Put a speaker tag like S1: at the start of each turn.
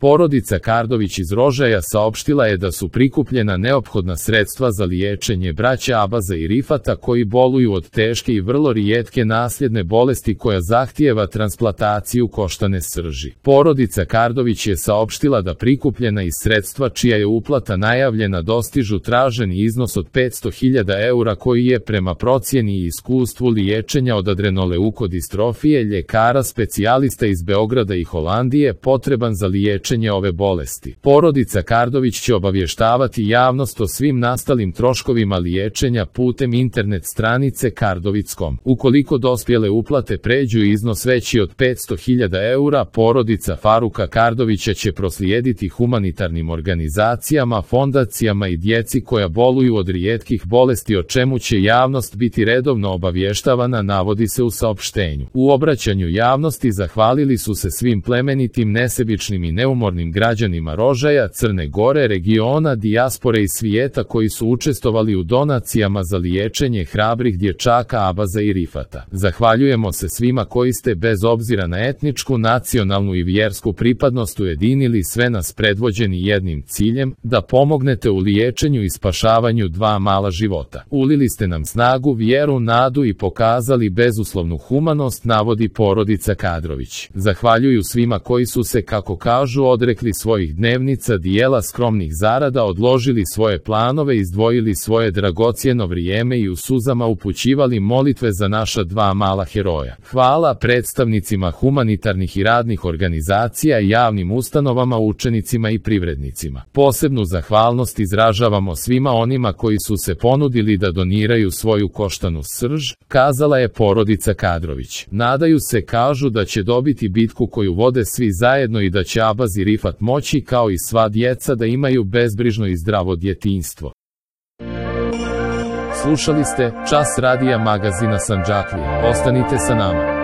S1: Porodica Kardović iz Rožaja saopštila je da su prikupljena neophodna sredstva za liječenje braća Abaza i Rifata koji boluju od teške i vrlo rijetke nasljedne bolesti koja zahtijeva transplantaciju koštane srži. Porodica Kardović je saopštila da prikupljena iz sredstva čija je uplata najavljena dostižu traženi iznos od 500.000 eura koji je prema procjeni i iskustvu liječenja od adrenoleukodistrofije ljekara specijalista iz Beograda i Holandije potreban za liječenje ove bolesti. Porodica Kardović će obavještavati javnost o svim nastalim troškovima liječenja putem internet stranice kardovic.com. Ukoliko dospjele uplate pređu iznos veći od 500.000 eura, porodica Faruka Kardovića će proslijediti humanitarnim organizacijama, fondacijama i djeci koja boluju od rijetkih bolesti, o čemu će javnost biti redovno obavještavana, navodi se u saopštenju. U obraćanju javnosti zahvalili su se svim plemenitim, nesebičnim i neumornim građanima Rožaja, Crne Gore, regiona, dijaspore i svijeta koji su učestvovali u donacijama za liječenje hrabrih dječaka Abaza i Rifata. Zahvaljujemo se svima koji ste bez obzira na etničku, nacionalnu i vjersku pripadnost ujedinili sve nas predvođeni jednim ciljem, da pomognete u liječenju i spašavanju dva mala života. Ulili ste nam snagu, vjeru, nadu i pokazali bezuslovnu humanost, navodi porodica Kardović. Zahvaljuju svima koji su se, kako kažu, odrekli svojih dnevnica, dijela, skromnih zarada, odložili svoje planove, izdvojili svoje dragocjeno vrijeme i u suzama upućivali molitve za naša dva mala heroja. Hvala predstavnicima humanitarnih i radnih organizacija, javnim ustanovama, učenicima i privrednicima. Posebnu zahvalnost izražavamo svima onima koji su se ponudili da doniraju svoju koštanu srž, kazala je porodica Kardović. Nadaju se, kažu, da će dobiti bitku koju vode svi zajedno i da će Abaz i Rifat moći, kao i sva djeca, da imaju bezbrižno i zdravo djetinjstvo. Slušali ste Čas radija magazina Sandžaklija. Ostanite sa nama.